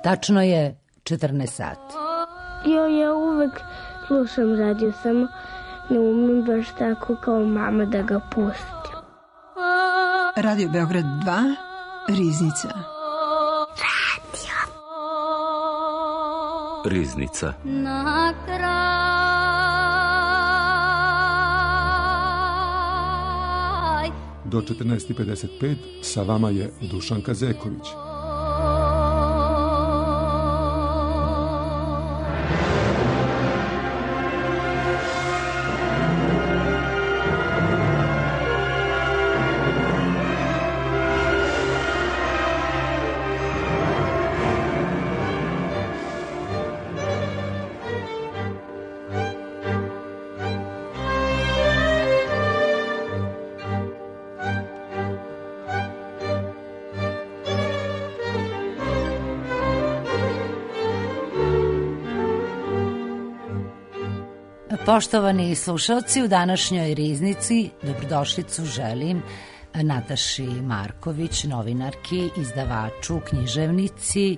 Tačno je 14 sati. Ja uvek slušam radio, samo ne umem baš tako kao mama da ga pustim. Radio Beograd 2, Riznica. Riznica. Na kraj. Do 14:55 sa vama je Dušanka Zeković. Poštovani slušalci, u današnjoj Riznici dobrodošlicu želim Nataši Marković, novinarki, izdavaču, književnici,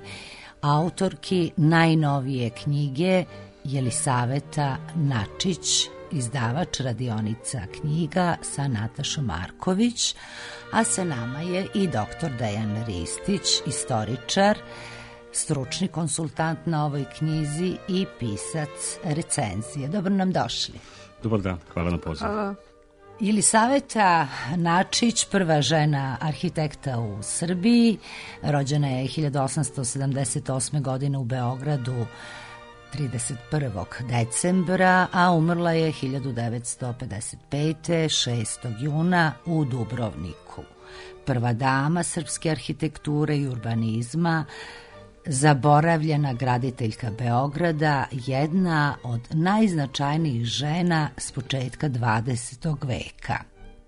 autorki najnovije knjige Jelisaveta Načić, izdavač Radionica knjiga sa Natašom Marković, a sa nama je i dr. Dejan Ristić, istoričar, stručni konsultant na ovoj knjizi i pisac recenzije. Dobro nam došli. Dobar dan, hvala na pozivu. Jelisaveta Načić, prva žena arhitekta u Srbiji, rođena je 1878. godine u Beogradu 31. decembra, a umrla je 1955. 6. juna u Dubrovniku. Prva dama srpske arhitekture i urbanizma, zaboravljena graditeljka Beograda, jedna od najznačajnijih žena s početka 20. veka.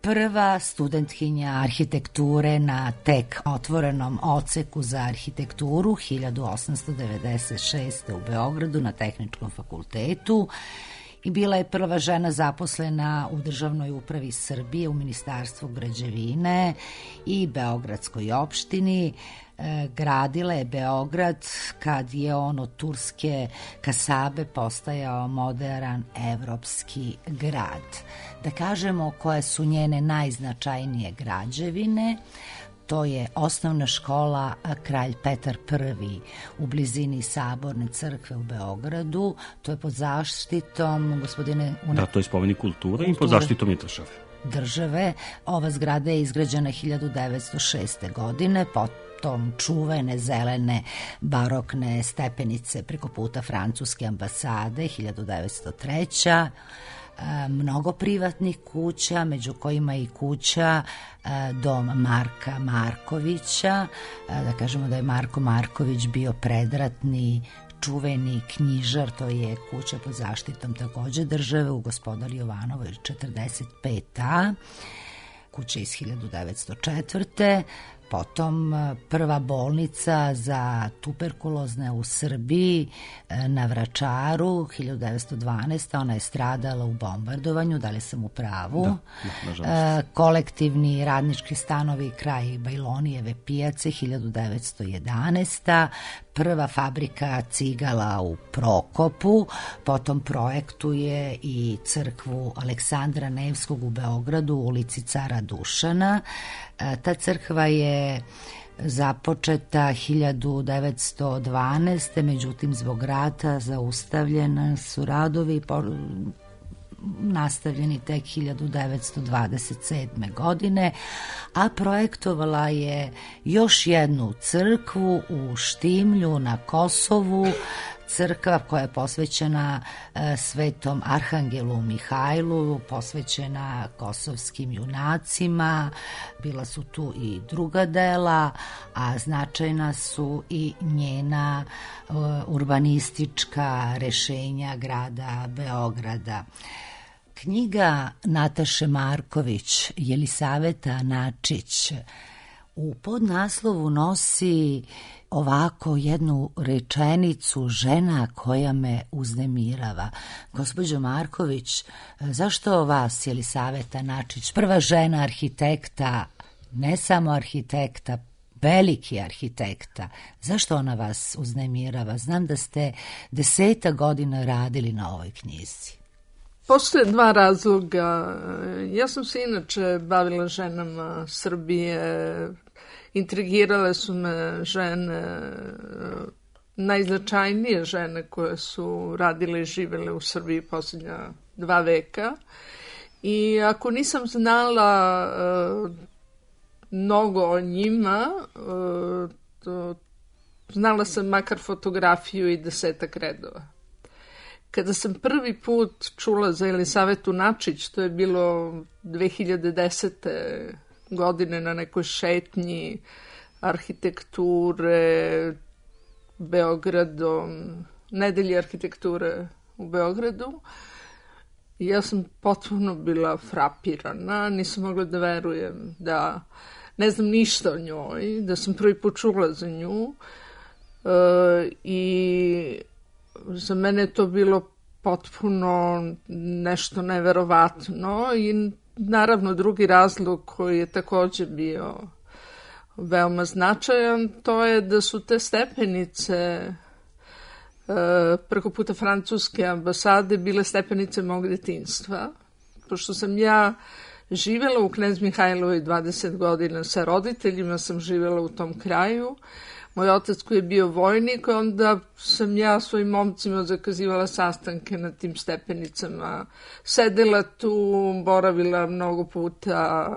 Prva studentkinja arhitekture na tek otvorenom odseku za arhitekturu 1896. u Beogradu na Tehničkom fakultetu i bila je prva žena zaposlena u Državnoj upravi Srbije u Ministarstvu građevine i Beogradskoj opštini. Gradila je Beograd kad je on od turske kasabe postajao moderan evropski grad. Da kažemo koje su njene najznačajnije građevine. To je osnovna škola Kralj Petar I u blizini Saborne crkve u Beogradu. To je pod zaštitom gospodine... Da, to je spomenik kulture i pod zaštitom i države. Ova zgrada je izgrađena 1906. godine, potom čuvene zelene barokne stepenice preko puta francuske ambasade 1903. Mnogo privatnih kuća, među kojima i kuća dom Marka Markovića. Da kažemo da je Marko Marković bio predratni čuveni knjižar, to je kuća pod zaštitom takođe države u Gospodar Jovanovoj 45a, kuća iz 1904. Potom prva bolnica za tuberkulozne u Srbiji na Vračaru 1912. Ona je stradala u bombardovanju, da li sam u pravu? Da, kolektivni radnički stanovi kraj Bajlonijeve pijace 1911. Prva fabrika cigala u Prokopu, potom projektuje i crkvu Aleksandra Nevskog u Beogradu u ulici Cara Dušana. Ta crkva je započeta 1912. Međutim, zbog rata zaustavljena su radovi, nastavljeni tek 1927. godine, a projektovala je još jednu crkvu u Štimlju na Kosovu, crkva koja je posvećena svetom Arhangelu Mihajlu, posvećena kosovskim junacima. Bila su tu i druga dela, a značajna su i njena urbanistička rešenja grada Beograda. Knjiga Nataše Marković, Jelisaveta Načić, u podnaslovu nosi ovako jednu rečenicu: žena koja me uznemirava. Gospođo Marković, zašto vas Jelisaveta Načić, prva žena arhitekta, ne samo arhitekta, veliki arhitekta. Zašto ona vas uznemirava? Znam da ste 10 godina radili na ovoj knjizi. Postoje dva razloga. Ja sam se inače bavila ženama Srbije, intrigirale su me žene, najznačajnije žene koje su radile i živele u Srbiji posljednja 2 veka. I ako nisam znala mnogo o njima, znala sam makar fotografiju i 10 redova. Kada sam prvi put čula za Elisavetu Načić, to je bilo 2010. godine na nekoj šetnji arhitekture Beogradom, nedelji arhitekture u Beogradu, ja sam potpuno bila frapirana, nisam mogla da verujem da ne znam ništa o njoj, da sam prvi put čula za nju i za mene je to bilo potpuno nešto neverovatno i naravno drugi razlog koji je također bio veoma značajan, to je da su te stepenice preko puta francuske ambasade bile stepenice mog detinjstva. Pošto sam ja živjela u Knez Mihajlovoj 20 godina sa roditeljima, sam živjela u tom kraju. Moj otac koji je bio vojnik, onda sam ja svojim momcima zakazivala sastanke na tim stepenicama. Sedela tu, boravila mnogo puta,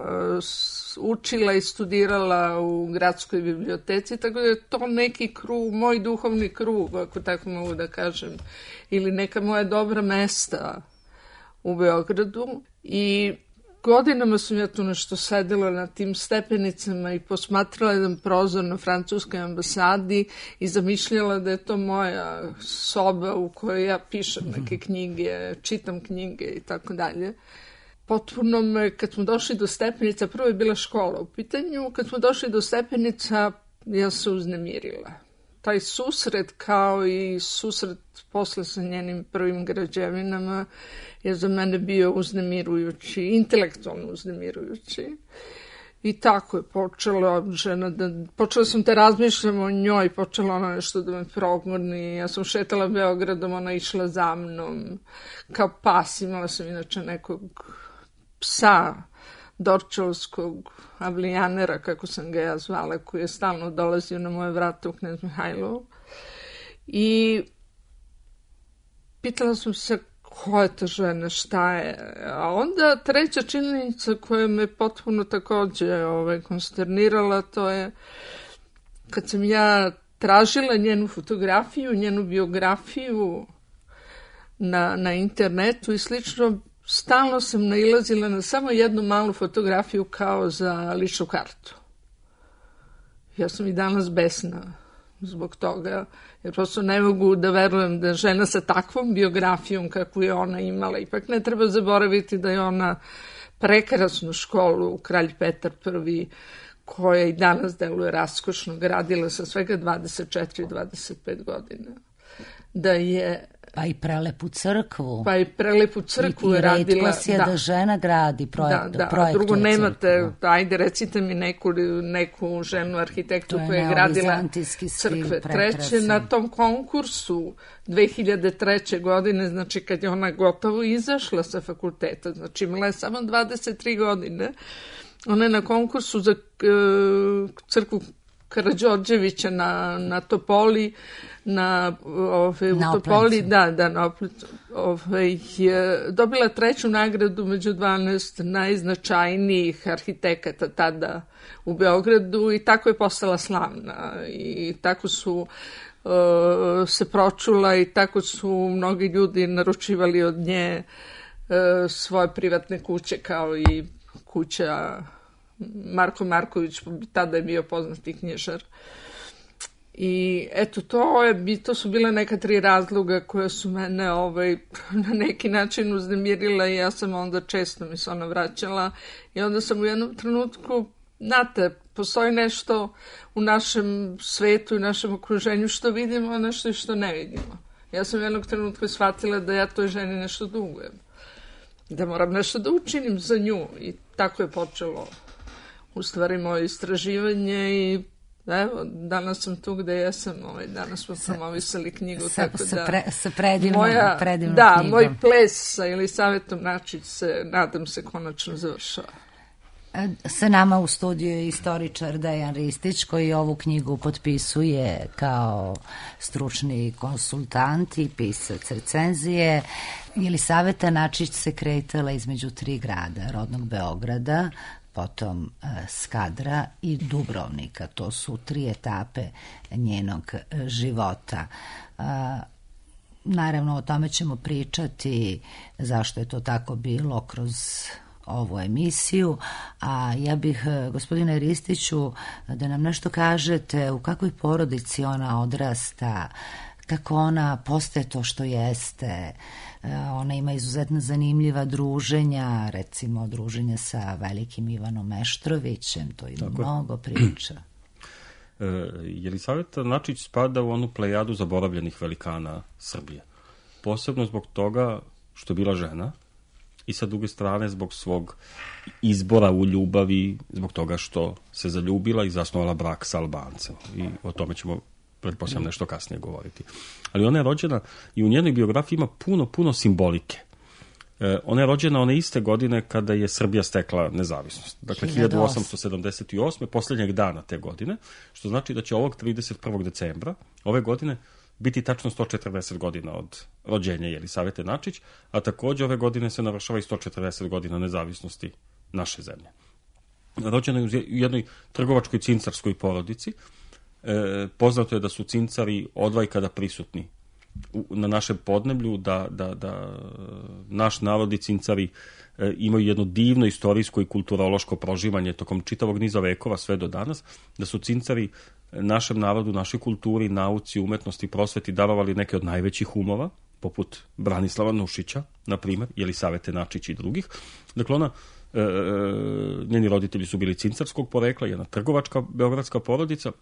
učila i studirala u gradskoj biblioteci, tako da je to neki krug, moj duhovni krug, ako tako mogu da kažem, ili neka moja dobra mesta u Beogradu. I godinama sam ja tu nešto sedela na tim stepenicama i posmatrala jedan prozor na francuskoj ambasadi i zamišljala da je to moja soba u kojoj ja pišem neke knjige, čitam knjige i tako dalje. Potpuno me, kad smo došli do stepenica, prvo je bila škola u pitanju, kad smo došli do stepenica, ja se uznemirila. Taj susret, kao i susret posle sa njenim prvim građevinama, je za mene bio uznemirujući, intelektualno uznemirujući. I tako je počela žena počela sam da razmišljam o njoj, počela ona nešto da me progoni. Ja sam šetala Beogradom, ona išla za mnom kao pas. Imala sam inače nekog psa, dorčelskog avlijanera, kako sam ga ja zvala, koji je stalno dolazio na moje vrata u Knez Mihajlovu. I pitala sam se ko je ta žena, šta je. A onda treća činjenica koja me potpuno također konsternirala, to je kad sam ja tražila njenu fotografiju, njenu biografiju na internetu i slično, stalno sam nailazila na samo jednu malu fotografiju kao za ličnu kartu. Ja sam i danas besna zbog toga, jer prosto ne mogu da verujem da žena sa takvom biografijom kakvu je ona imala, ipak ne treba zaboraviti da je ona prekrasnu školu Kralj Petar I, koja i danas deluje raskošno, gradila sa svega 24-25 godina. Da je pa i prelepu crkvu. Pa i prelepu crkvu je radila. I retko je da žena gradi projekt. Da. Drugo nemate, ajde recite mi neku ženu arhitektu koja je gradila crkve. Treće, na tom konkursu 2003. godine, znači kad je ona gotovo izašla sa fakulteta, znači imala je samo 23 godine, ona je na konkursu za crkvu Karađorđevića na Topoli, u Topoli, dobila 3. nagradu među 12 najznačajnijih arhitekata tada u Beogradu i tako je postala slavna i tako su se pročula i tako su mnogi ljudi naručivali od nje svoje privatne kuće, kao i kuća Marko Marković, tada je bio poznati knjižar. I eto, to su bile neka 3 razloga koje su mene na neki način uznemirile i ja sam onda često mi se ona vraćala i onda sam u jednom trenutku, znate, postoji nešto u našem svetu i našem okruženju što vidimo, a nešto i što ne vidimo. Ja sam u jednog trenutka shvatila da ja toj ženi nešto dugujem, da moram nešto da učinim za nju i tako je počelo u stvari moje istraživanje i Evo, danas sam tu gde jesam, danas smo promovisali knjigu, tako da... Sa predivnom knjigom. Da, moj ples sa Jelisavetom Načić se, nadam se, konačno završava. Sa nama u studiju je istoričar Dejan Ristić, koji ovu knjigu potpisuje kao stručni konsultant i pisac recenzije. Jelisaveta Načić se kretala između 3 grada, rodnog Beograda, potom Skadra i Dubrovnika. To su 3 etape njenog života. Naravno, o tome ćemo pričati, zašto je to tako bilo kroz ovu emisiju, a ja bih, gospodine Ristiću, da nam nešto kažete u kakvoj porodici ona odrasta, kako ona postaje to što jeste. Ona ima izuzetno zanimljiva druženja, recimo druženja sa velikim Ivanom Meštrovićem, to ima mnogo priča. Jelisaveta Načić spada u onu plejadu zaboravljenih velikana Srbije. Posebno zbog toga što je bila žena i sa druge strane zbog svog izbora u ljubavi, zbog toga što se zaljubila i zasnovala brak sa Albancem. I o tome ćemo pretpostavljam nešto kasnije govoriti. Ali ona je rođena i u njenoj biografiji ima puno simbolike. Ona je rođena one iste godine kada je Srbija stekla nezavisnost. Dakle, 1878. posljednjeg dana te godine, što znači da će ovog 31. decembra ove godine biti tačno 140 godina od rođenja Jelisavete Načić, a takođe ove godine se navršava i 140 godina nezavisnosti naše zemlje. Rođena je u jednoj trgovačkoj cincarskoj porodici. Poznato je da su cincari odvajkada prisutni na našem podneblju, da naš narod i cincari imaju jedno divno istorijsko i kulturološko proživanje tokom čitavog niza vekova sve do danas, da su cincari našem narodu, našoj kulturi, nauci, umetnosti, prosveti darovali neke od najvećih umova, poput Branislava Nušića, na primjer, Jelisavete Načić i drugih. Dakle, njeni roditelji su bili cincarskog porekla, jedna trgovačka beogradska porodica,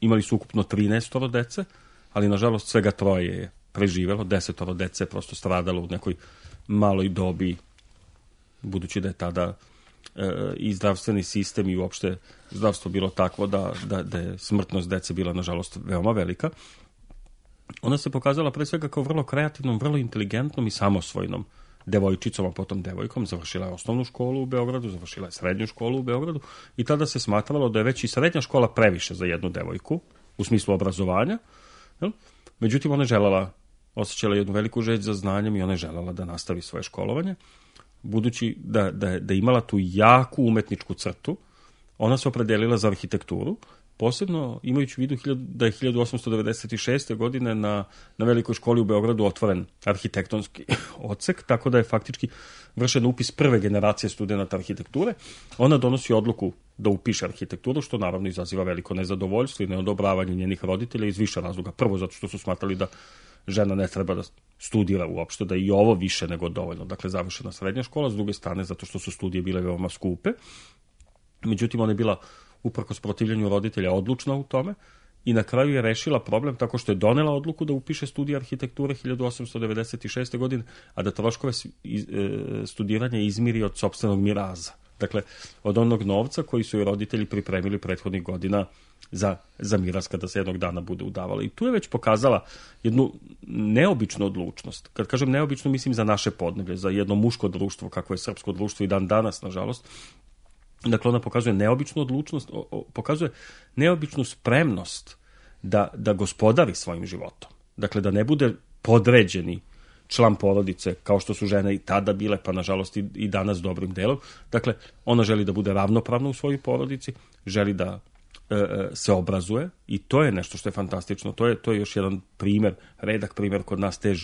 imali su ukupno 13 dece, ali nažalost svega 3 je preživelo, 10 dece je prosto stradalo u nekoj maloj dobi, budući da je tada i zdravstveni sistem i uopšte zdravstvo bilo takvo da je smrtnost dece bila nažalost veoma velika. Ona se pokazala pre svega kao vrlo kreativnom, vrlo inteligentnom i samosvojnom devojčicom, a potom devojkom. Završila je osnovnu školu u Beogradu, završila je srednju školu u Beogradu i tada se smatralo da je već i srednja škola previše za jednu devojku u smislu obrazovanja. Međutim, ona je osjećala jednu veliku želju za znanjem i ona je željela da nastavi svoje školovanje. Budući da je imala tu jaku umetničku crtu, ona se opredelila za arhitekturu, posebno imajući u vidu da je 1896. godine na Velikoj školi u Beogradu otvoren arhitektonski odsek, tako da je faktički vršen upis prve generacije studenta arhitekture. Ona donosi odluku da upiše arhitekturu, što naravno izaziva veliko nezadovoljstvo i neodobravanje njenih roditelja iz više razloga. Prvo, zato što su smatrali da žena ne treba da studira uopšte, da je i ovo više nego dovoljno. Dakle, završena srednja škola, s druge strane, zato što su studije bile veoma skupe. Međutim, ona je bila, uprkos protivljenju roditelja, odlučna u tome i na kraju je rešila problem tako što je donela odluku da upiše studije arhitekture 1896. godine, a da troškove studiranja izmiri od sopstvenog miraza. Dakle, od onog novca koji su joj roditelji pripremili prethodnih godina za miraz kada se jednog dana bude udavala. I tu je već pokazala jednu neobičnu odlučnost. Kad kažem neobično, mislim za naše podneblje, za jedno muško društvo, kako je srpsko društvo i dan danas, nažalost. Dakle, ona pokazuje neobičnu odlučnost, pokazuje neobičnu spremnost da gospodari svojim životom. Dakle, da ne bude podređeni član porodice, kao što su žene i tada bile, pa nažalost i danas dobrim delom. Dakle, ona želi da bude ravnopravna u svojoj porodici, želi da se obrazuje i to je nešto što je fantastično. To je još jedan primer, redak primer kod nas te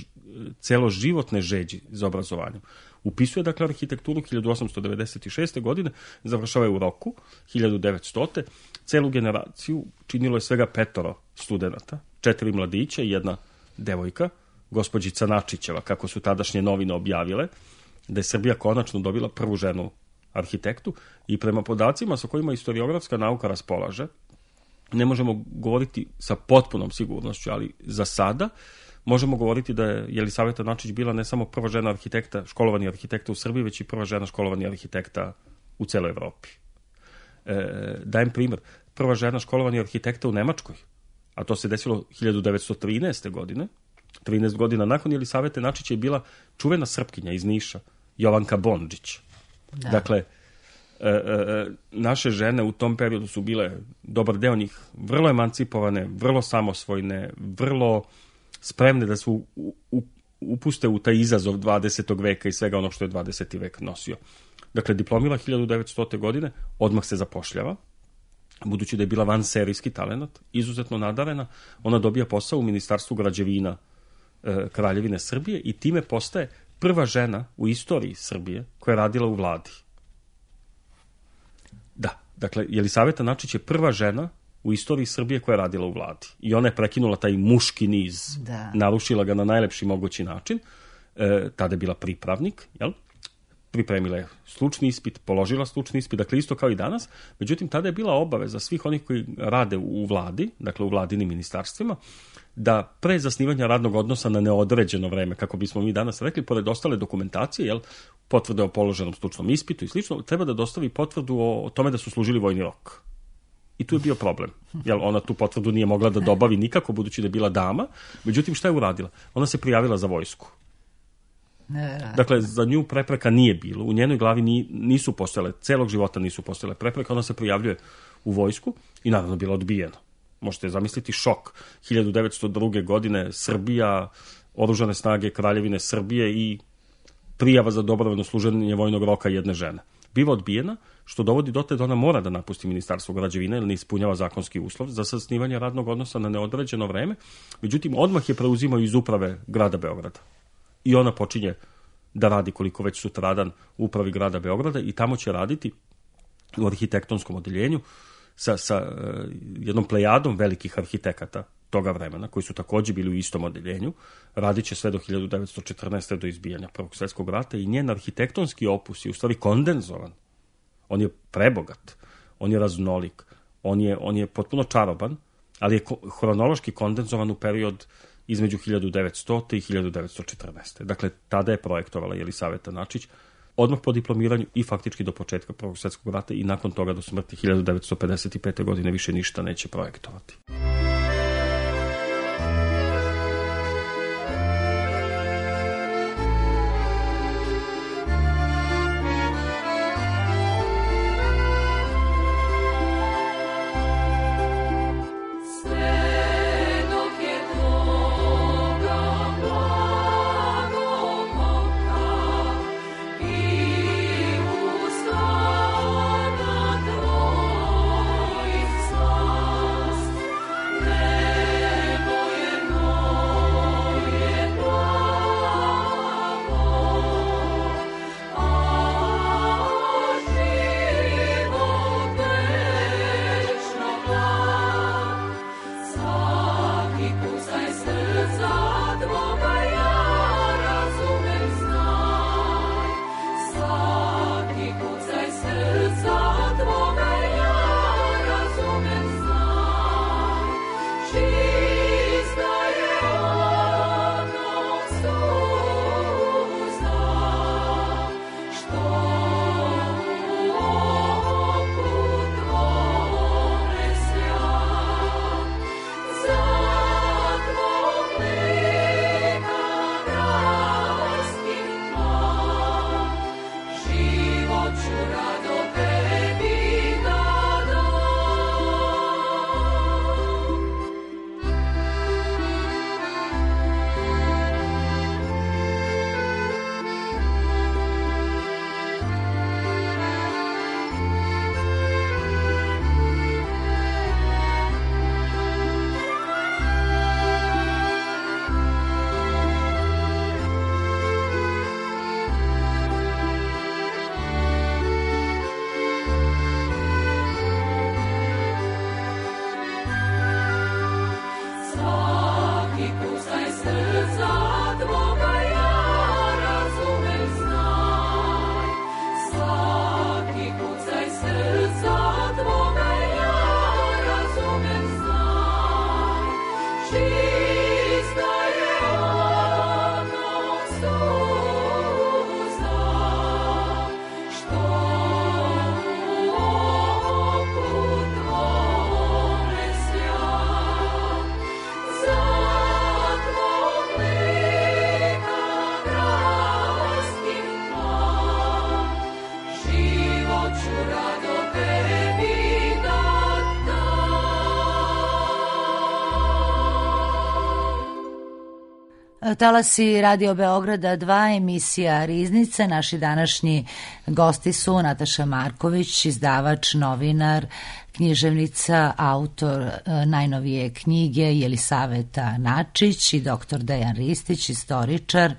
celoživotne žeđi za obrazovanjem. Upisuje, dakle, arhitekturu 1896. godine, završava je u roku, 1900. Celu generaciju činilo je svega 5 studenata, 4 mladića i jedna devojka, gospođica Načićeva, kako su tadašnje novine objavile, da je Srbija konačno dobila prvu ženu arhitektu i prema podacima sa kojima historiografska nauka raspolaže, ne možemo govoriti sa potpunom sigurnošću, ali za sada možemo govoriti da je Jelisaveta Načić bila ne samo prva žena arhitekta, školovani arhitekta u Srbiji, već i prva žena školovani arhitekta u celoj Evropi. Dajem primjer, prva žena školovanja arhitekta u Nemačkoj, a to se desilo 1913. godine. 13 godina nakon Jelisavete Načić je bila čuvena Srpkinja iz Niša, Jovanka Bondžić. Da. Dakle, naše žene u tom periodu su bile, dobar deo njih, vrlo emancipovane, vrlo samosvojne, vrlo spremne da se upuste u taj izazov 20. veka i svega onog što je 20. vek nosio. Dakle, diplomila 1900. godine, odmah se zapošljava, budući da je bila vanserijski talenat, izuzetno nadarena, ona dobija posao u Ministarstvu građevina Kraljevine Srbije i time postaje prva žena u istoriji Srbije koja je radila u vladi. Da, dakle, Jelisaveta Načić je prva žena u istoriji Srbije koja je radila u vladi. I ona je prekinula taj muški niz, narušila ga na najlepši mogući način. Tada je bila pripravnik, jel? Pripremila je stručni ispit, položila stručni ispit, dakle isto kao i danas. Međutim, tada je bila obaveza svih onih koji rade u vladi, dakle u vladinim ministarstvima, da pre zasnivanja radnog odnosa na neodređeno vreme, kako bismo mi danas rekli, pored ostale dokumentacije, jel, potvrde o položenom stručnom ispitu i slično, treba da dostavi potvrdu o tome da su služili vojni rok. I tu je bio problem. Jel, ona tu potvrdu nije mogla da dobavi nikako, budući da je bila dama. Međutim, šta je uradila? Ona se prijavila za vojsku. Dakle, za nju prepreka nije bilo. U njenoj glavi nisu postojale, celog života nisu postojale prepreka. Ona se prijavljuje u vojsku i naravno bila odbijena. Možete zamisliti šok. 1902. godine Srbija, oružane snage Kraljevine Srbije i prijava za dobrovoljno služenje vojnog roka jedne žene. Biva odbijena, što dovodi do te da ona mora da napusti Ministarstvo građevine jer ne ispunjava zakonski uslov za zasnivanje radnog odnosa na neodređeno vreme. Međutim, odmah je preuzimao iz uprave grada Beograda. I ona počinje da radi koliko već sutradan u upravi grada Beograda i tamo će raditi u arhitektonskom odeljenju sa jednom plejadom velikih arhitekata toga vremena, koji su takođe bili u istom odeljenju. Radit će sve do 1914. do izbijanja Prvog svjetskog rata i njen arhitektonski opus je u stvari kondenzovan. On je prebogat, on je raznolik, on je potpuno čaroban, ali je hronološki kondenzovan u period između 1900. i 1914. Dakle, tada je projektovala Jelisaveta Načić, odmah po diplomiranju i faktički do početka Prvog svjetskog rata i nakon toga do smrti 1955. godine više ništa neće projektovati. Talasi Radio Beograda 2, emisija Riznice. Naši današnji gosti su Nataša Marković, izdavač, novinar, književnica, autor najnovije knjige Jelisaveta Načić i dr. Dejan Ristić, istoričar,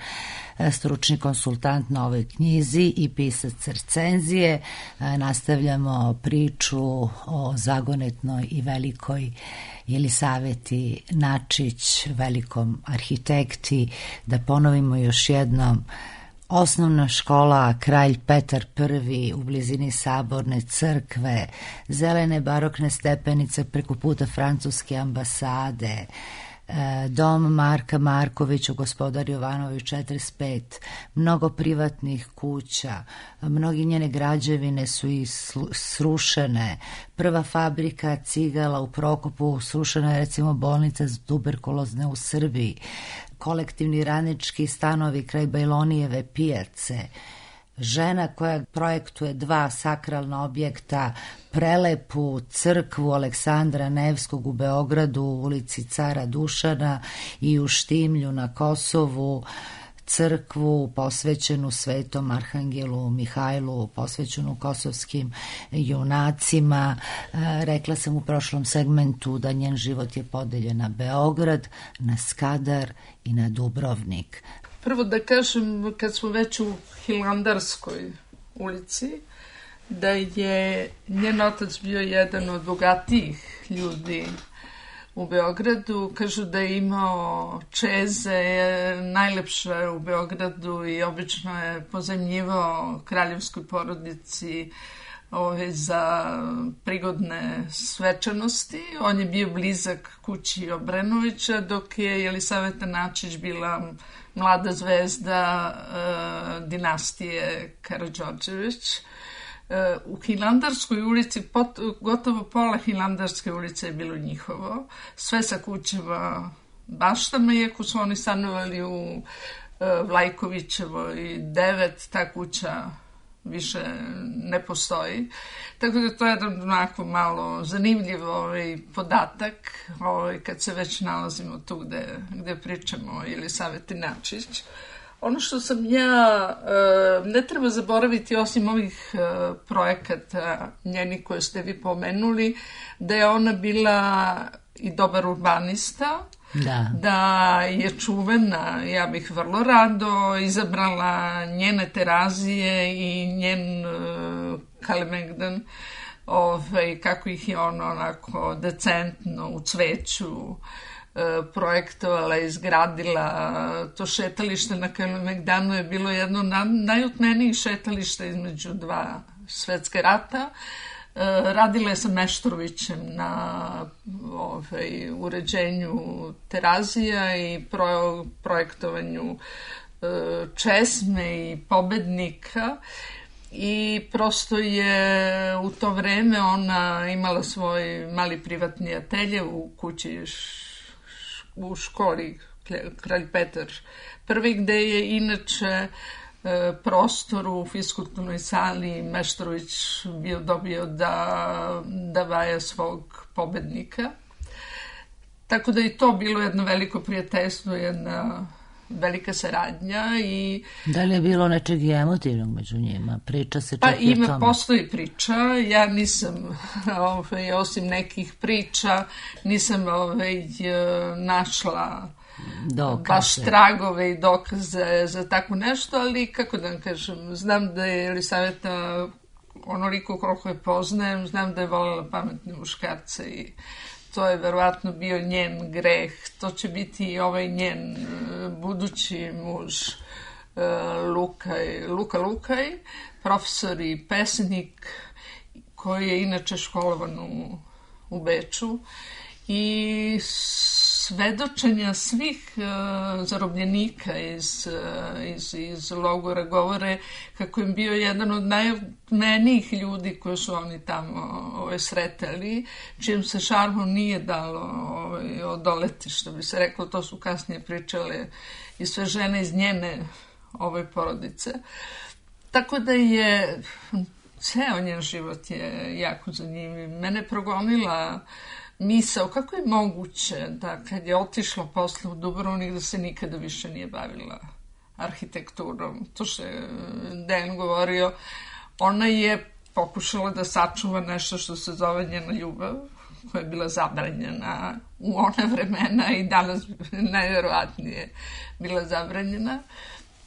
stručni konsultant na ovoj knjizi i pisac recenzije. Nastavljamo priču o zagonetnoj i velikoj Jelisaveti Načić, velikom arhitekti. Da ponovimo još jednom, osnovna škola Kralj Petar I u blizini Saborne crkve, zelene barokne stepenice preko puta francuske ambasade, dom Marka Markovića u Gospodar Jovanović 45, mnogo privatnih kuća, mnogi njene građevine su i srušene. Prva fabrika cigala u Prokopu, srušena je recimo bolnica za tuberkulozne u Srbiji, kolektivni radnički stanovi kraj Bajlonijeve pijace, žena koja projektuje 2 sakralna objekta, prelepu crkvu Aleksandra Nevskog u Beogradu u ulici Cara Dušana i u Štimlju na Kosovu, crkvu posvećenu Svetom Arhangelu Mihajlu, posvećenu kosovskim junacima. Rekla sam u prošlom segmentu da njen život je podeljen na Beograd, na Skadar i na Dubrovnik. Prvo da kažem, kad smo već u Hilandarskoj ulici, da je njen otac bio jedan od bogatijih ljudi u Beogradu. Kažu da je imao čeze, najlepše u Beogradu i obično je pozajmljivao kraljevskoj porodici za prigodne svečanosti. On je bio blizak kući Obrenovića, dok je Jelisaveta Načić bila mlada zvezda dinastije Karađorđević. U Hilandarskoj ulici, gotovo pola Hilandarske ulice je bilo njihovo, sve sa kućama baštama, iako su oni stanovali u Vlajkovićevoj 9, ta kuća više ne postoji. Tako da to je jedan onako malo zanimljiv podatak kad se već nalazimo tu gde pričamo o Jelisaveti Načić. Ono što sam ja, ne treba zaboraviti osim ovih projekata njeni koje ste vi pomenuli, da je ona bila i dobar urbanista, da je čuvena, ja bih vrlo rado izabrala njene Terazije i njen Kalemegdan, kako ih je ona onako decentno u cveću projektovala, izgradila. To šetalište na Kalemegdanu je bilo jedno najutmenijih šetališta između 2 svetske rata. Radila je sa Meštrovićem na uređenju Terazija i projektovanju česme i pobednika, i prosto je u to vreme ona imala svoj mali privatni atelje u kući u školi Kralj Petar I, gde je inače prostor u fiskulturnoj sali Meštrović bio dobio da vaja svog pobednika. Tako da je to bilo jedno veliko prijateljstvo, jedna velika saradnja. Da li je bilo nečeg emotivnog među njima? Priča se čak i o tome. Postoji priča. Ja nisam, osim nekih priča, nisam našla baš tragove i dokaze za tako nešto, ali kako da vam kažem, znam da je Jelisaveta, onoliko koliko je poznajem, znam da je voljela pametne muškarce i to je verovatno bio njen greh. To će biti i ovaj njen budući muž Luka Lukaj, profesor i pesnik koji je inače školovan u Beču, i svedočenja svih zarobljenika iz logora govore kako im bio jedan od najmenijih ljudi koje su oni tamo sretali, čijem se šarmu nije dalo odoleti, što bi se reklo. To su kasnije pričale i sve žene iz njene porodice. Tako da je ceo njen život je jako zanimljiv. Mene progonila misao kako je moguće da kad je otišla posle u Dubrovnik da se nikada više nije bavila arhitekturom. To što je Dejan govorio, ona je pokušala da sačuva nešto što se zove njena ljubav, koja je bila zabranjena u ona vremena i danas najverovatnije bila zabranjena.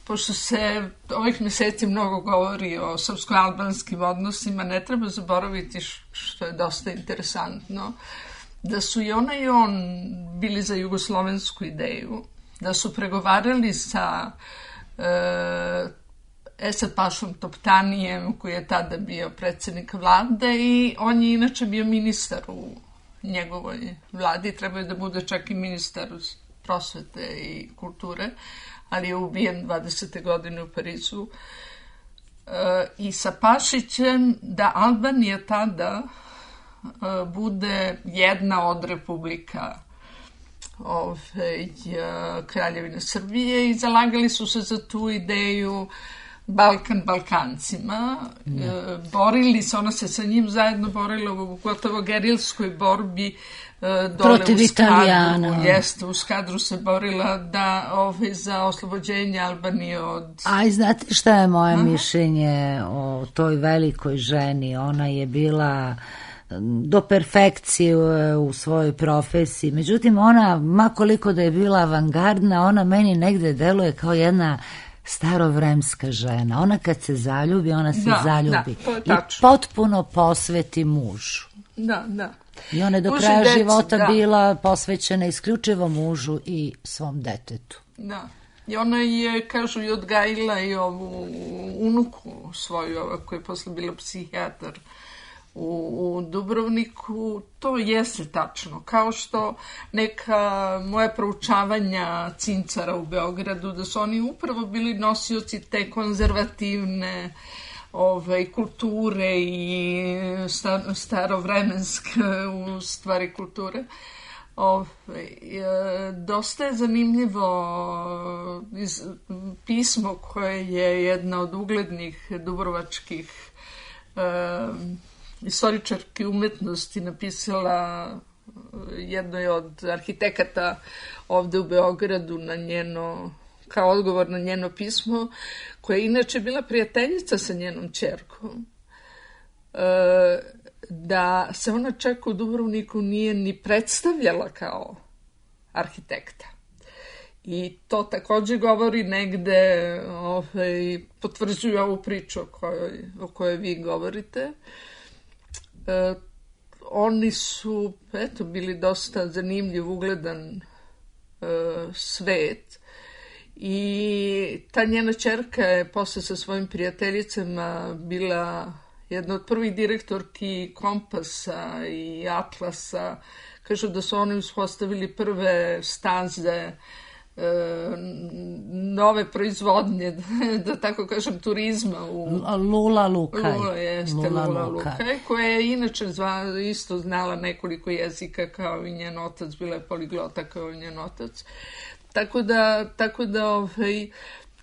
Pošto se ovih meseci mnogo govori o srpsko-albanskim odnosima, ne treba zaboraviti, što je dosta interesantno, da su i ona i on bili za jugoslovensku ideju, da su pregovarali sa Esad Pašom Toptanijem, koji je tada bio predsjednik vlade, i on je inače bio ministar u njegovoj vladi, trebao je da bude čak i ministar prosvete i kulture, ali je ubijen 20. godine u Parizu. I sa Pašićem da Albanija tada bude jedna od republika Kraljevine Srbije i zalagali su se za tu ideju Balkan Balkancima. Borili se, ona se sa njim zajedno borila u gotovo gerilskoj borbi dole protiv u Italijana. Jeste, u Skadru se borila da za oslobođenje Albanije od... A znate šta je moje mišljenje o toj velikoj ženi? Ona je bila do perfekcije u svojoj profesiji. Međutim, ona, makoliko da je bila avangardna, ona meni negde deluje kao jedna starovremska žena. Ona kad se zaljubi, ona se zaljubi. I potpuno posveti mužu. Da. I ona je do kraja života bila posvećena isključivo mužu i svom detetu. Da. I ona je, kažu, i odgajila i ovu unuku svoju, koja je posle bila psihijatar u Dubrovniku. To jeste tačno. Kao što neka moja proučavanja cincara u Beogradu, da su oni upravo bili nosioci te konzervativne kulture i starovremenske u stvari kulture. Dosta je zanimljivo pismo koje je jedna od uglednih dubrovačkih istoričarki umetnosti napisala jednoj od arhitekata ovde u Beogradu na njeno, kao odgovor na njeno pismo, koja je inače bila prijateljica sa njenom ćerkom, da se ona čak u Dubrovniku nije ni predstavljala kao arhitekta. I to takođe govori negde, potvrđuju ovu priču o kojoj vi govorite. Oni su, bili dosta zanimljiv, ugledan svet. I ta njena ćerka je posle sa svojim prijateljicama bila jedna od prvih direktorki Kompasa i Atlasa. Kažu da su oni uspostavili prve staze nove proizvodnje, da tako kažem, turizma u Lula Lukaj. Lula Lukaj, koja je inače isto znala nekoliko jezika kao i njen otac, bila je poliglota kao i njen otac. Tako da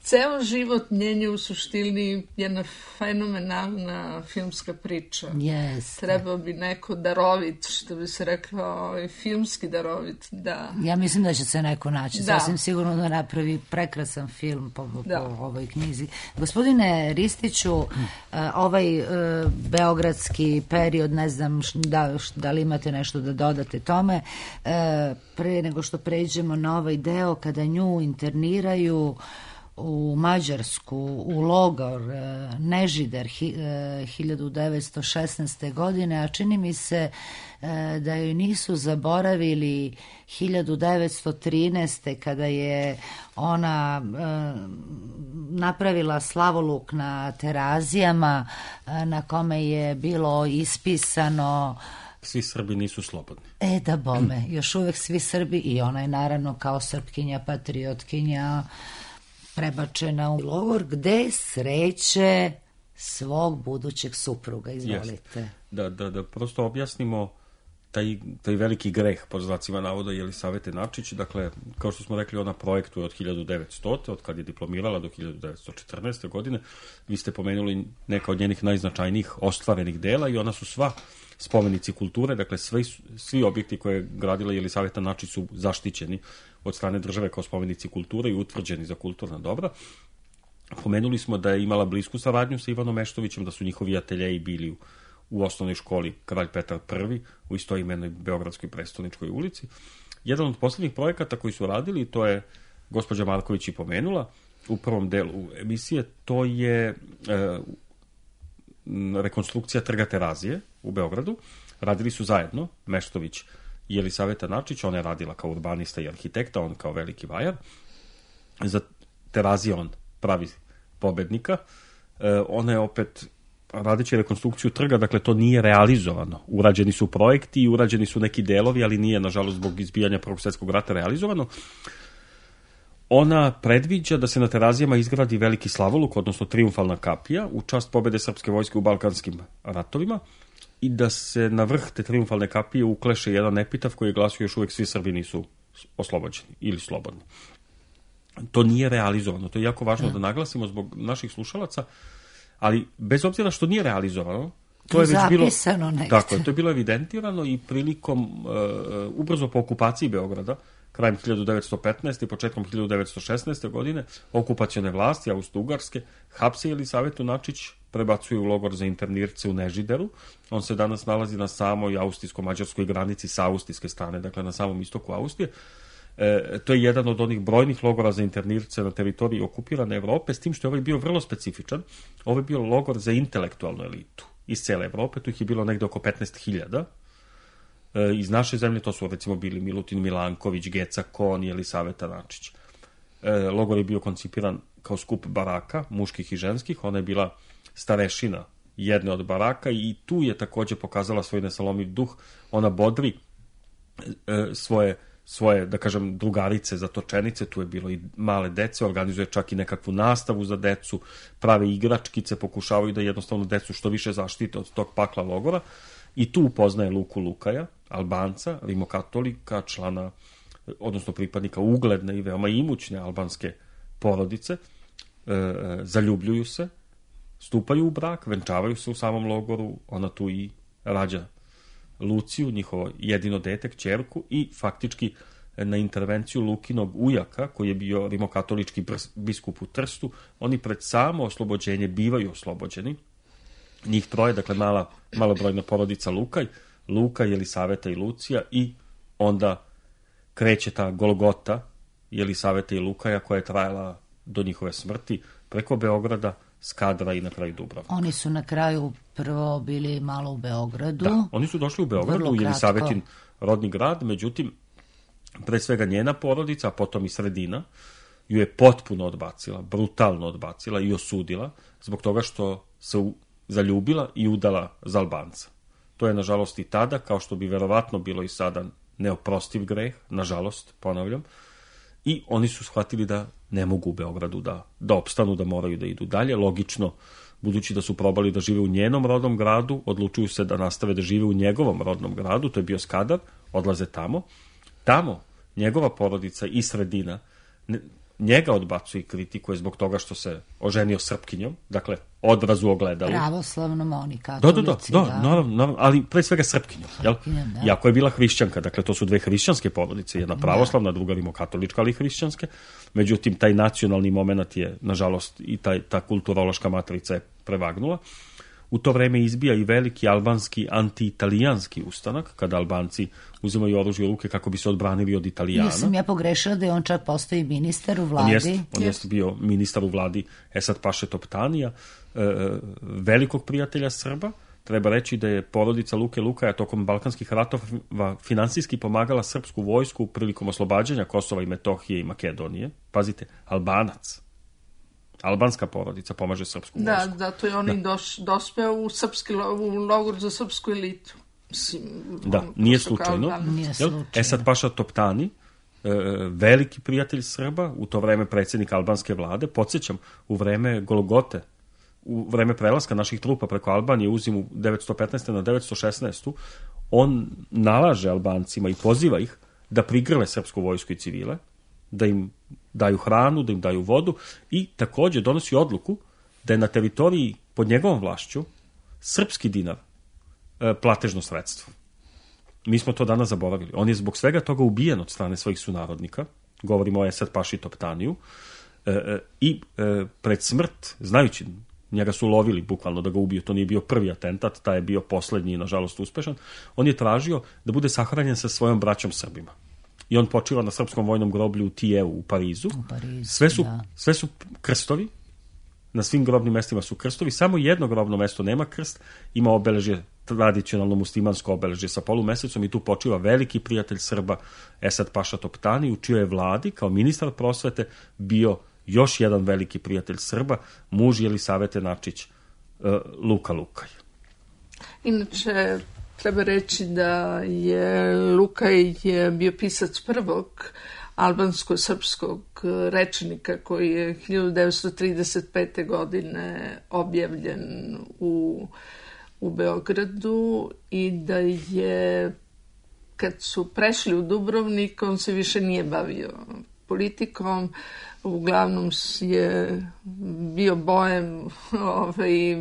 ceo život njen je u suštini jedna fenomenalna filmska priča. Yes. Trebao bi neko darovit, što bi se reklo, filmski darovit, da. Ja mislim da će se neko naći, sasvim sigurno da napravi prekrasan film po ovoj knjizi. Gospodine Ristiću, ovaj beogradski period, ne znam da li imate nešto da dodate tome, pre nego što pređemo na ovaj deo kada nju interniraju u Mađarsku, u logor Nežider 1916. godine, a čini mi se da joj nisu zaboravili 1913. kada je ona napravila slavoluk na Terazijama na kome je bilo ispisano svi Srbi nisu slobodni. Da bome, još uvek svi Srbi, i ona je naravno kao Srpkinja, patriotkinja prebačena u logor gde sreće svog budućeg supruga. Izvolite. Da prosto objasnimo taj veliki greh, pod znacima navoda, Jelisavete Načić. Dakle, kao što smo rekli, ona projektuje od 1900. od kad je diplomirala do 1914. godine. Vi ste pomenuli neka od njenih najznačajnijih ostvarenih dela i ona su sva spomenici kulture, dakle svi objekti koje je gradila Jelisaveta Načić su zaštićeni od strane države kao spomenici kulture i utvrđeni za kulturna dobra. Pomenuli smo da je imala blisku saradnju sa Ivanom Meštovićem, da su njihovi ateljeji bili u osnovnoj školi Kralj Petar I u istoimenoj Beogradskoj prestoničkoj ulici. Jedan od poslednjih projekata koji su radili, to je gospođa Marković i pomenula u prvom delu emisije, to je rekonstrukcija Trga Terazije u Beogradu. Radili su zajedno Meštović i Jelisaveta Načić, ona je radila kao urbanista i arhitekta, on kao veliki vajar. Za Terazije on pravi pobednika. Ona je opet radeći rekonstrukciju trga, dakle to nije realizovano. Urađeni su projekti i urađeni su neki delovi, ali nije, nažalost, zbog izbijanja Prvog svjetskog rata realizovano. Ona predviđa da se na Terazijama izgradi veliki slavoluk, odnosno triumfalna kapija, u čast pobede srpske vojske u Balkanskim ratovima i da se na vrh te triumfalne kapije ukleše jedan epitaf koji je glasio još uvek svi Srbi nisu oslobođeni ili slobodni. To nije realizovano. To je jako važno da naglasimo zbog naših slušalaca, ali bez obzira što nije realizovano, to je već bilo tako, to je bilo evidentirano i prilikom ubrzo po okupaciji Beograda, krajem 1915. i početkom 1916. godine, okupacione vlasti Austro-Ugarske hapse Jelisavetu Načić, prebacuju u logor za internirce u Nežideru. On se danas nalazi na samoj austrijsko-mađarskoj granici sa austrijske strane, dakle na samom istoku Austrije. To je jedan od onih brojnih logora za internirce na teritoriji okupirane Evrope, s tim što je ovaj bio vrlo specifičan. Ovo je bio logor za intelektualnu elitu iz cele Evrope, tu ih je bilo negde oko 15.000. Iz naše zemlje to su recimo bili Milutin Milanković, Geca Kon i Jelisaveta Načić. Logor je bio koncipiran kao skup baraka, muških i ženskih, ona je bila starešina jedne od baraka i tu je takođe pokazala svoj nesalomiv duh. Ona bodri svoje, da kažem, drugarice, zatočenice, tu je bilo i male dece, organizuje čak i nekakvu nastavu za decu, prave igračkice, pokušavaju da jednostavno decu što više zaštite od tog pakla logora i tu upoznaje Luku Lukaja, Albanca, rimokatolika, člana, odnosno pripadnika ugledne i veoma imućne albanske porodice, zaljubljuju se, stupaju u brak, venčavaju se u samom logoru, ona tu i rađa Luciju, njihovo jedino dete, kćerku, i faktički na intervenciju Lukinog ujaka, koji je bio rimokatolički biskup u Trstu, oni pred samo oslobođenje bivaju oslobođeni. Njih troje, dakle malobrojna porodica Luka, Jelisaveta i Lucija, i onda kreće ta Golgota Jelisaveta i Lukaja koja je trajala do njihove smrti preko Beograda, Skadra i na kraju Dubrovnika. Oni su na kraju prvo bili malo u Beogradu. Da, oni su došli u Beogradu, u Jelisavetin rodni grad, međutim, pre svega njena porodica, a potom i sredina, ju je potpuno odbacila, brutalno odbacila i osudila, zbog toga što se zaljubila i udala za Albanca. To je, nažalost, i tada, kao što bi verovatno bilo i sada, neoprostiv greh, nažalost, ponavljam, i oni su shvatili da ne mogu u Beogradu da opstanu, da moraju da idu dalje. Logično, budući da su probali da žive u njenom rodnom gradu, odlučuju se da nastave da žive u njegovom rodnom gradu, to je bio Skadar, odlaze tamo. Tamo njegova porodica i sredina njega odbacuje i kritikuje zbog toga što se oženio Srpkinjom, dakle, odraz u ogledalu. Pravoslavnom, oni katolici. Da, naravno, ali pre svega Srpkinjom. Iako je bila hrišćanka, dakle, to su dve hrišćanske porodice, jedna pravoslavna, druga rimokatolička, ali hrišćanske. Međutim, taj nacionalni moment je, nažalost, i ta kulturološka matrica je prevagnula. U to vreme izbija i veliki albanski anti-italijanski ustanak, kada Albanci uzimaju oružje u ruke kako bi se odbranili od Italijana. Nisam ja pogrešila da je on čak postoji ministar u vladi. On jeste bio ministar u vladi Esad Paše Toptanija, velikog prijatelja Srba. Treba reći da je porodica Luke Lukaja tokom balkanskih ratova finansijski pomagala srpsku vojsku prilikom oslobađanja Kosova i Metohije i Makedonije. Pazite, Albanac. Albanska porodica pomaže srpsku vojsku. Da, to je on dospeo u logor za srpsku elitu. Nije slučajno. Esad Paša Toptani, veliki prijatelj Srba, u to vreme predsjednik albanske vlade, podsjećam, u vreme Golgote, u vreme prelaska naših trupa preko Albanije u zimu 915. na 916. on nalaže Albancima i poziva ih da prigrle srpsku vojsku i civile, da im daju hranu, da im daju vodu, i takođe donosi odluku da je na teritoriji pod njegovom vlašću srpski dinar platežno sredstvo. Mi smo to danas zaboravili. On je zbog svega toga ubijen od strane svojih sunarodnika, govorimo o Esad Paši Toptaniju, i pred smrt, znajući, njega su lovili bukvalno da ga ubiju, to nije bio prvi atentat, taj je bio poslednji i nažalost uspešan, on je tražio da bude sahranjen sa svojom braćom Srbima. I on počiva na srpskom vojnom groblju u Tijeu u Parizu. Sve su krstovi, na svim grobnim mestima su krstovi, samo jedno grobno mesto nema krst, ima obeležje, tradicionalno muslimansko obeležje sa polumesecom i tu počiva veliki prijatelj Srba Esad Paša Toptani, u čijoj vladi kao ministar prosvete bio još jedan veliki prijatelj Srba, muž Jelisavete Načić, Luka Lukaj. Inače, treba reći da je Lukaj bio pisac prvog albansko-srpskog rečnika koji je 1935. godine objavljen u Beogradu i da je, kad su prešli u Dubrovnik, on se više nije bavio politikom, uglavnom je bio bojem i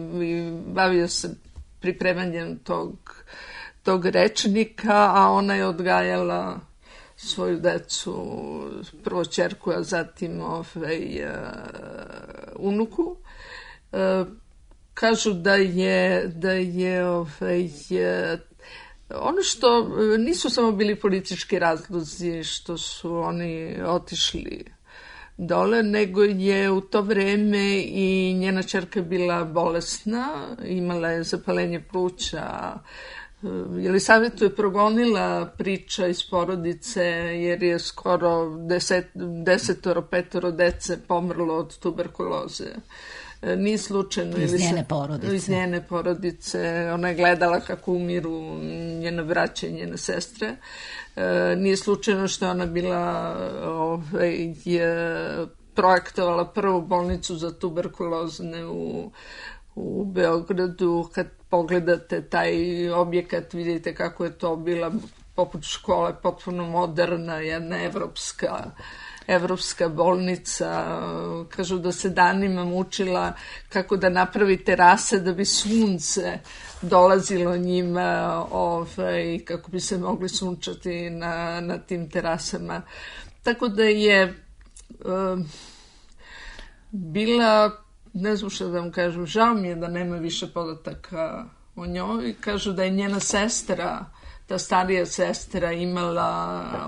bavio se pripremanjem tog rečnika, a ona je odgajala svoju decu, prvo ćerku, a zatim unuku. Kažu da je ono što nisu samo bili politički razlozi što su oni otišli dole, nego je u to vreme i njena ćerka bila bolesna, imala je zapalenje pluća. Jelisavetu je progonila priča iz porodice jer je skoro 10-15 dece pomrlo od tuberkuloze. Nije slučajno. Iz njene porodice. Ona je gledala kako umiru njene braće i njene sestre. Nije slučajno što ona bila projektovala prvu bolnicu za tuberkulozne u Beogradu. Kad pogledate taj objekat, vidite kako je to bila poput škole, potpuno moderna, jedna evropska bolnica. Kažu da se danima mučila kako da napravi terase da bi sunce dolazilo njima i kako bi se mogli sunčati na tim terasama. Tako da je bila, ne znam što da vam kažem, žao mi je da nema više podataka o njoj. Kažu da je njena sestra, ta starija sestra,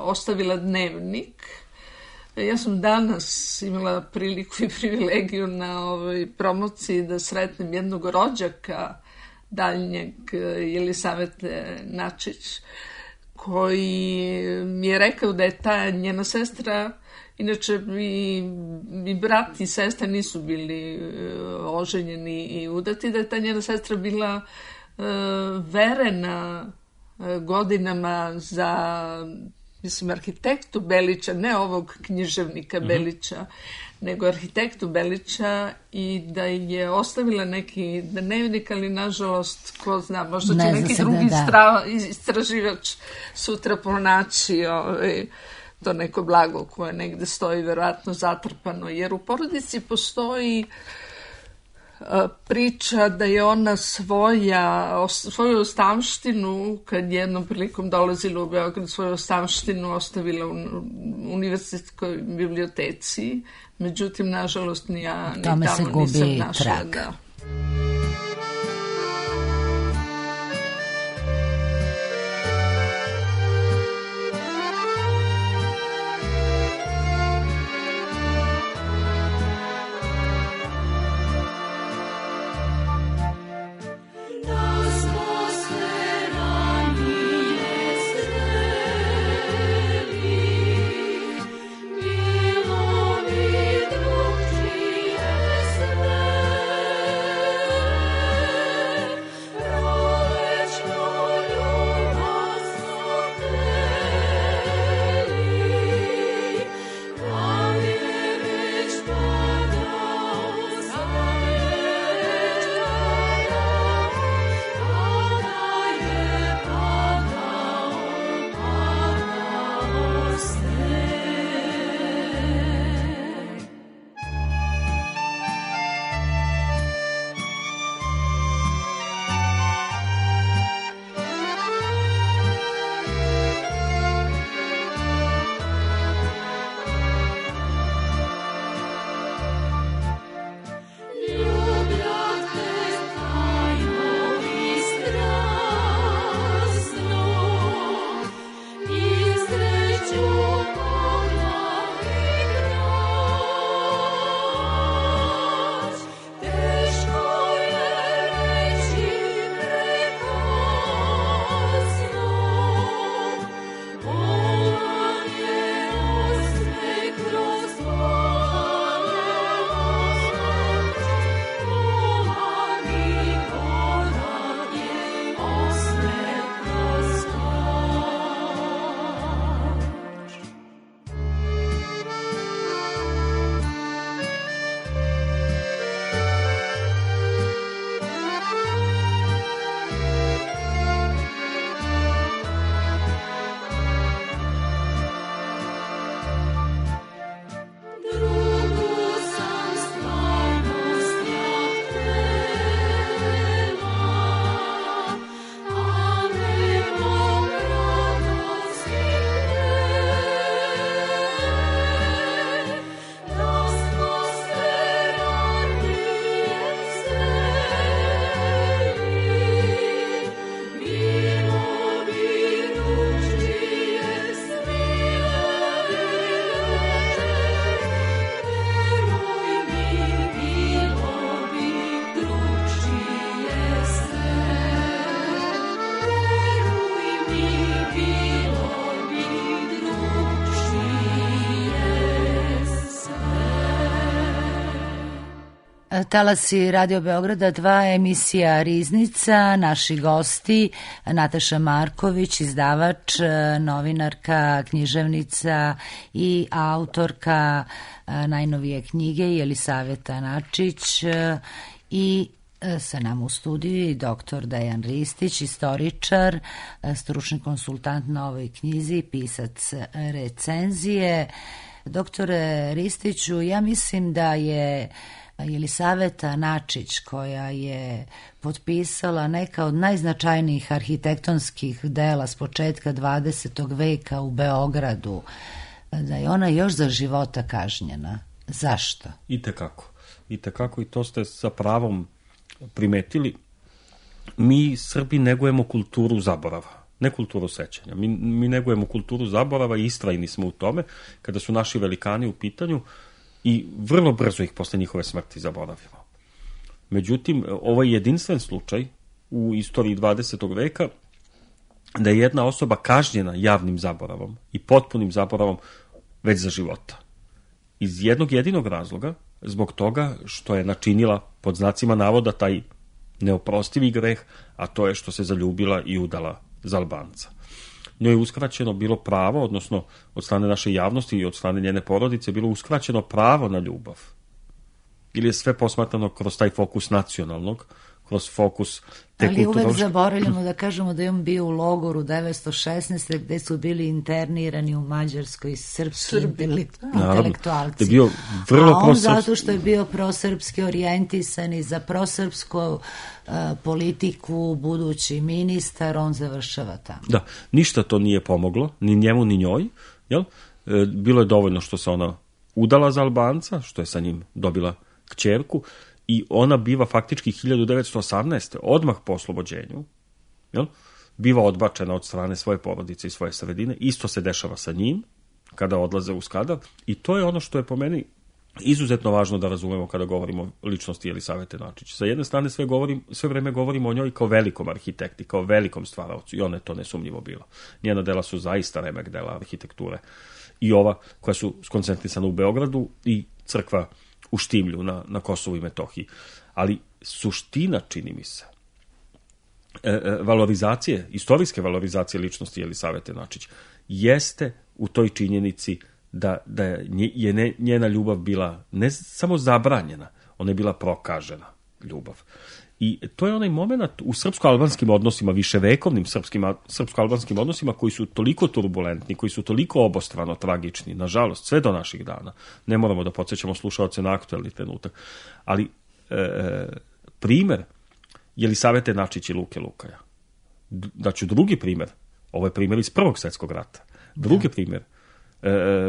ostavila dnevnik. Ja sam danas imala priliku i privilegiju na ovoj promociji da sretnem jednog rođaka daljnjeg, Jelisavete Načić, koji mi je rekao da je ta njena sestra, inače i brat i sestra nisu bili oženjeni i udati, da je ta njena sestra bila verena godinama za, mislim, arhitektu Belića, ne ovog književnika Belića, nego arhitektu Belića, i da je ostavila neki dnevnik, ali nažalost, ko zna, možda će neki drugi istraživač sutra pronaći to neko blago koje negde stoji verovatno zatrpano, jer u porodici postoji priča da je ona svoju ostavštinu, kad jednom prilikom dolazila u Beograd, svoju ostavštinu ostavila u univerzitetskoj biblioteci, međutim, nažalost, ni tamo nisam našla. Da. Talasi Radio Beograda 2, emisija Riznica, naši gosti Nataša Marković, izdavač, novinarka, književnica i autorka najnovije knjige Jelisaveta Načić i sa nama u studiju i doktor Dejan Ristić, istoričar, stručni konsultant na ovoj knjizi, pisac recenzije. Doktore Ristiću, ja mislim da je Jelisaveta Načić, koja je potpisala neka od najznačajnijih arhitektonskih dela s početka 20. veka u Beogradu, da je ona još za života kažnjena. Zašto? Itekako, i to ste sa pravom primetili. Mi Srbi negujemo kulturu zaborava, ne kulturu sećanja. Mi negujemo kulturu zaborava i istrajni smo u tome kada su naši velikani u pitanju i vrlo brzo ih posle njihove smrti zaboravimo. Međutim, ovo je jedinstven slučaj u istoriji 20. veka da je jedna osoba kažnjena javnim zaboravom i potpunim zaboravom već za života. Iz jednog jedinog razloga, zbog toga što je načinila pod znacima navoda taj neoprostivi greh, a to je što se zaljubila i udala za Albanca. Njoj je uskraćeno bilo pravo, odnosno od strane naše javnosti i od strane njene porodice, bilo uskraćeno pravo na ljubav. Ili je sve posmatrano kroz taj fokus nacionalnog, kroz fokus te ali uvek zaboravljamo da kažemo da je on bio u logoru 916. gde su bili internirani u Mađarskoj srpski intelektualci. Je bio vrlo a on zato što je bio prosrpski orijentisan i za prosrpsku politiku, budući ministar, on završava tamo. Da, ništa to nije pomoglo, ni njemu ni njoj. Jel? Bilo je dovoljno što se ona udala za Albanca, što je sa njim dobila kćerku, i ona biva faktički 1918. odmah po oslobođenju, jel? Biva odbačena od strane svoje porodice i svoje sredine. Isto se dešava sa njim kada odlaze u Skadar i to je ono što je po meni izuzetno važno da razumemo kada govorimo o ličnosti Jelisavete Načić. Sa jedne strane sve vreme govorimo o njoj kao velikom arhitekti, kao velikom stvaraocu i ona je to nesumnjivo bila. Njena dela su zaista remek dela arhitekture i ova koja su skoncentrisana u Beogradu i crkva u Štimlju na Kosovu i Metohiji. Ali suština, čini mi se, valorizacije, istorijske valorizacije ličnosti Jelisavete Načić jeste u toj činjenici da je njena ljubav bila ne samo zabranjena, ona je bila prokažena ljubav. I to je onaj moment u srpsko-albanskim odnosima, viševekovnim srpsko-albanskim odnosima koji su toliko turbulentni, koji su toliko obostrano tragični, nažalost, sve do naših dana. Ne moramo da podsjećamo slušaoce na aktuelni trenutak. Ali primer Jelisavete Načić i Luke Lukaja. Daću drugi primer. Ovo je primer iz Prvog svjetskog rata. Drugi primer.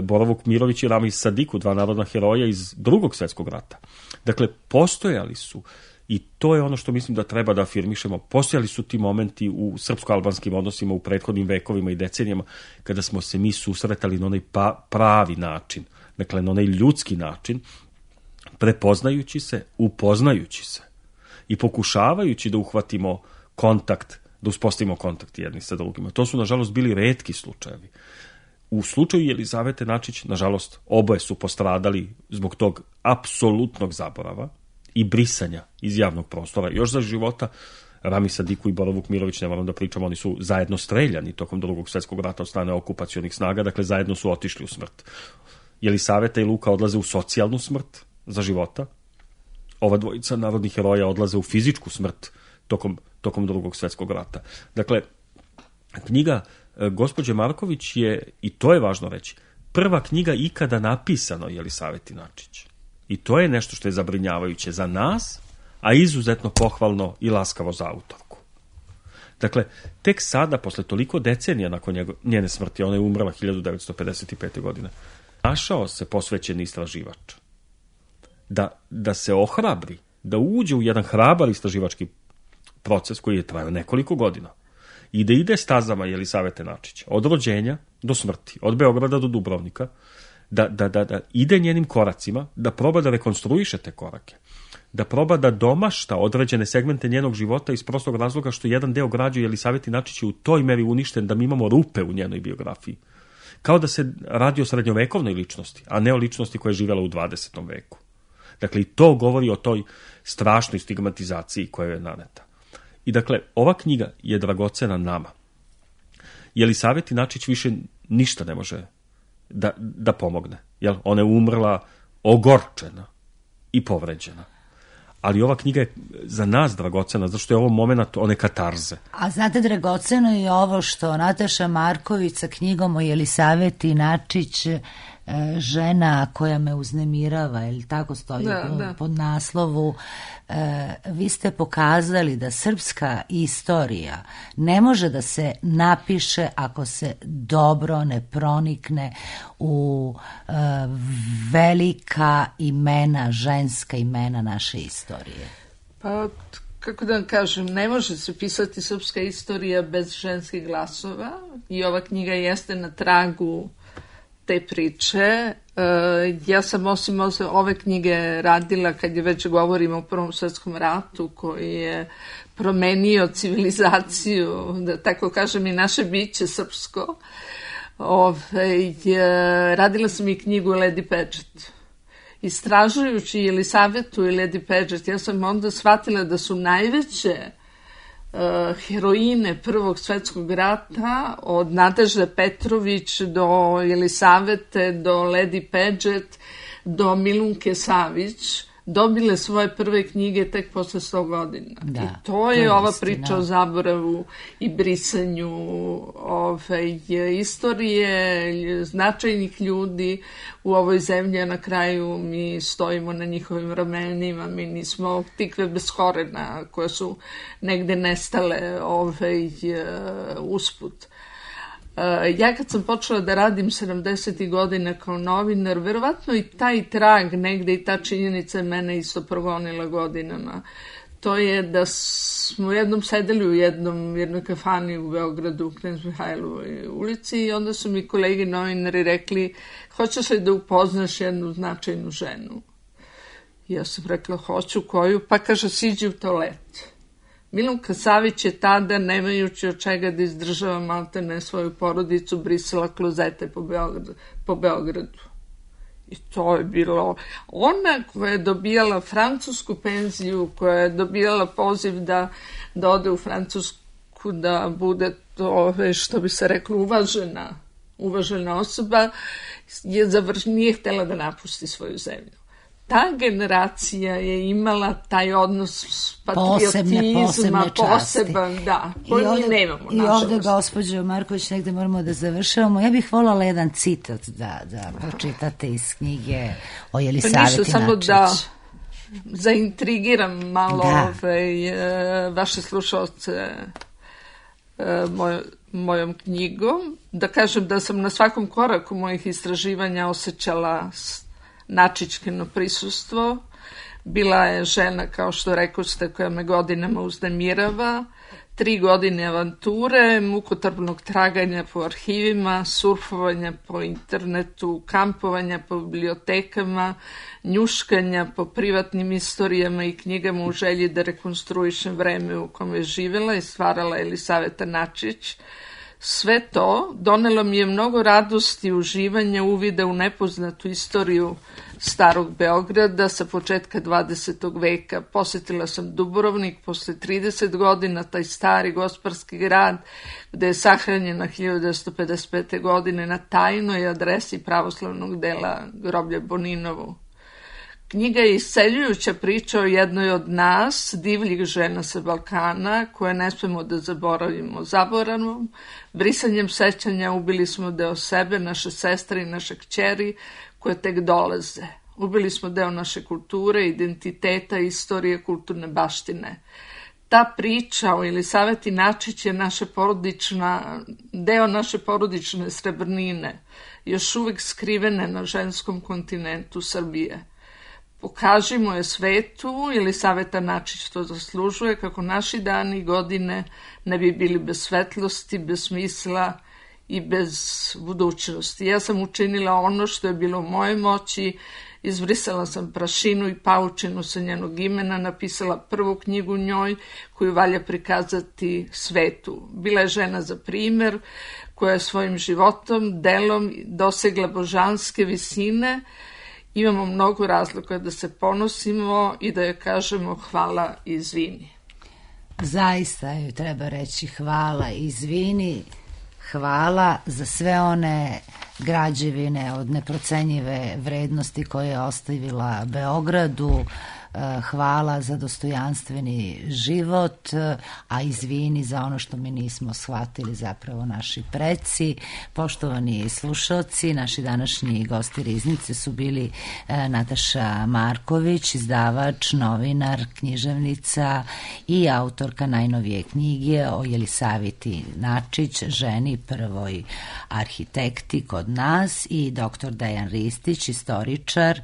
Bora Vukmirović i Ramiz Sadiku, dva narodna heroja iz Drugog svjetskog rata. Dakle, postojali su, i to je ono što mislim da treba da afirmišemo, postojali su ti momenti u srpsko-albanskim odnosima u prethodnim vekovima i decenijama kada smo se mi susretali na onaj pravi način, dakle na onaj ljudski način, prepoznajući se, upoznajući se i pokušavajući da uhvatimo kontakt, da uspostavimo kontakt jedni sa drugima. To su, nažalost, bili retki slučajevi. U slučaju Jelisavete Načić, nažalost, oboje su postradali zbog tog apsolutnog zaborava i brisanja iz javnog prostora. Još za života Ramiz Sadiku i Bora Vukmirović, ne moram da pričam, oni su zajedno streljani tokom Drugog svjetskog rata od strane okupacionih snaga, dakle zajedno su otišli u smrt. Jelisaveta i Luka odlaze u socijalnu smrt za života. Ova dvojica narodnih heroja odlaze u fizičku smrt tokom Drugog svjetskog rata. Dakle, knjiga gospođe Marković je, i to je važno reći, prva knjiga ikada napisana o Jelisaveti Načić. I to je nešto što je zabrinjavajuće za nas, a izuzetno pohvalno i laskavo za autorku. Dakle, tek sada, posle toliko decenija nakon njene smrti, ona je umrla 1955. godine, našao se posvećeni istraživač. Da se ohrabri, da uđe u jedan hrabar istraživački proces koji je trajao nekoliko godina i da ide stazama Jelisavete Načić, od rođenja do smrti, od Beograda do Dubrovnika, da ide njenim koracima, da proba da rekonstruiše te korake, da proba da domašta određene segmente njenog života iz prostog razloga što jedan deo građe Jelisaveti Načić je u toj meri uništen da mi imamo rupe u njenoj biografiji. Kao da se radi o srednjovekovnoj ličnosti, a ne o ličnosti koja je živjela u 20. veku. Dakle, i to govori o toj strašnoj stigmatizaciji koja je naneta. I dakle, ova knjiga je dragocena nama. Jelisaveti Načić više ništa ne može da pomogne. Jel? Ona je umrla ogorčena i povređena. Ali ova knjiga je za nas dragocena, zato što je ovo moment one katarze. A znate, dragoceno je ovo što Nataša Marković sa knjigom o Jelisaveti Načić, žena koja me uznemirava, ili tako stoji pod naslovu, vi ste pokazali da srpska istorija ne može da se napiše ako se dobro ne pronikne u velika imena, ženska imena naše istorije. Pa, kako da vam kažem, ne može se pisati srpska istorija bez ženskih glasova i ova knjiga jeste na tragu te priče. Ja sam osim ove knjige radila, kad je već govorimo o Prvom svetskom ratu koji je promenio civilizaciju, da tako kažem i naše biće srpsko, radila sam i knjigu Lady Paget. Istražujući Jelisavetu i Lady Paget, ja sam onda shvatila da su najveće heroine Prvog svetskog rata, od Nadežde Petrović do Jelisavete, do Lady Paget, do Milunke Savić, dobile svoje prve knjige tek posle 100 godina. Da, i to je ova istina. priča o zaboravu i brisanju istorije, značajnih ljudi u ovoj zemlji, a na kraju mi stojimo na njihovim ramenima, mi nismo tikve bez korena koje su negde nestale usput. Ja kad sam počela da radim 70. godina kao novinar, verovatno i taj trag negde i ta činjenica mene isto progonila godinama. To je da smo jednom sedeli u jednoj kafani u Beogradu, u Knez Mihajlovoj ulici, i onda su mi kolegi novinari rekli: hoćeš li da upoznaš jednu značajnu ženu? Ja sam rekla: hoću. Koju? Pa kaže: siđi u toalet. Milunka Savić je tada, nemajući od čega da izdržava maltene svoju porodicu, brisala klozete po Beogradu. I to je bilo ona koja je dobijala francusku penziju, koja je dobijala poziv da ode u Francusku, da bude to, što bi se reklo, uvažena osoba, nije htjela da napusti svoju zemlju. Ta generacija je imala taj odnos patriotizma, poseban, da, koji mi nemamo, nažalost. I ovde, gospođo Marković, negde moramo da završavamo. Ja bih voljela jedan citat da pročitate iz knjige o Jelisaveti Načić. Ništa, samo da zaintrigiram malo vaše slušalce mojom knjigom. Da kažem da sam na svakom koraku mojih istraživanja osjećala Načićkino prisustvo. Bila je žena, kao što rekoste, koja me godinama uznemirava. 3 godine avanture, mukotrpnog traganja po arhivima, surfovanja po internetu, kampovanja po bibliotekama, njuškanja po privatnim istorijama i knjigama u želji da rekonstruišem vreme u kome je živjela i stvarala Jelisaveta Načić. Sve to donelo mi je mnogo radosti i uživanja, uvida u nepoznatu istoriju starog Beograda sa početka 20. veka. Posjetila sam Dubrovnik posle 30 godina, taj stari gospodarski grad gde je sahranjena 1955. godine na tajnoj adresi pravoslavnog dela groblja Boninovu. Knjiga je isceljujuća priča o jednoj od nas, divljih žena sa Balkana, koje ne smemo da zaboravimo zaboravom. Brisanjem sećanja ubili smo deo sebe, naše sestre i naše kćeri, koje tek dolaze. Ubili smo deo naše kulture, identiteta, istorije, kulturne baštine. Ta priča o Jelisaveti Načić je deo naše porodične srebrnine, još uvek skrivene na ženskom kontinentu Srbije. Pokažimo je svetu, Jelisaveta Načić to zaslužuje, kako naši dani i godine ne bi bili bez svetlosti, bez smisla i bez budućnosti. Ja sam učinila ono što je bilo u mojoj moći, izbrisala sam prašinu i paučinu sa njenog imena, napisala prvu knjigu njoj koju valja prikazati svetu. Bila je žena za primer koja je svojim životom, delom dosegla božanske visine imamo mnogo razloga da se ponosimo i da joj kažemo hvala i izvini. Zaista joj treba reći hvala i izvini, hvala za sve one građevine od neprocenjive vrednosti koje je ostavila Beogradu, hvala za dostojanstveni život, a izvini za ono što mi nismo shvatili, zapravo naši preci. Poštovani slušalci, naši današnji gosti Riznice su bili Nataša Marković, izdavač, novinar, književnica i autorka najnovije knjige o Jelisaviti Načić, ženi prvoj arhitekti kod nas, i dr. Dejan Ristić, istoričar,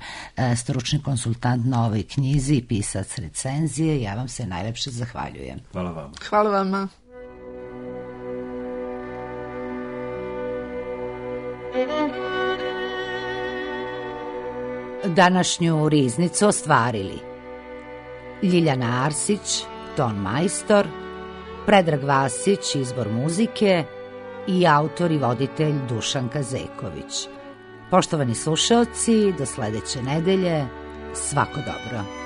stručni konsultant na ovoj knjizi i pisac recenzije. Ja vam se najlepše zahvaljujem. Hvala vam. Hvala vama. Današnju Riznicu ostvarili Ljiljana Arsić, ton majstor, Predrag Vasić, izbor muzike i autor i voditelj Dušan Kazeković. Poštovani slušaoci, do sledeće nedelje, svako dobro.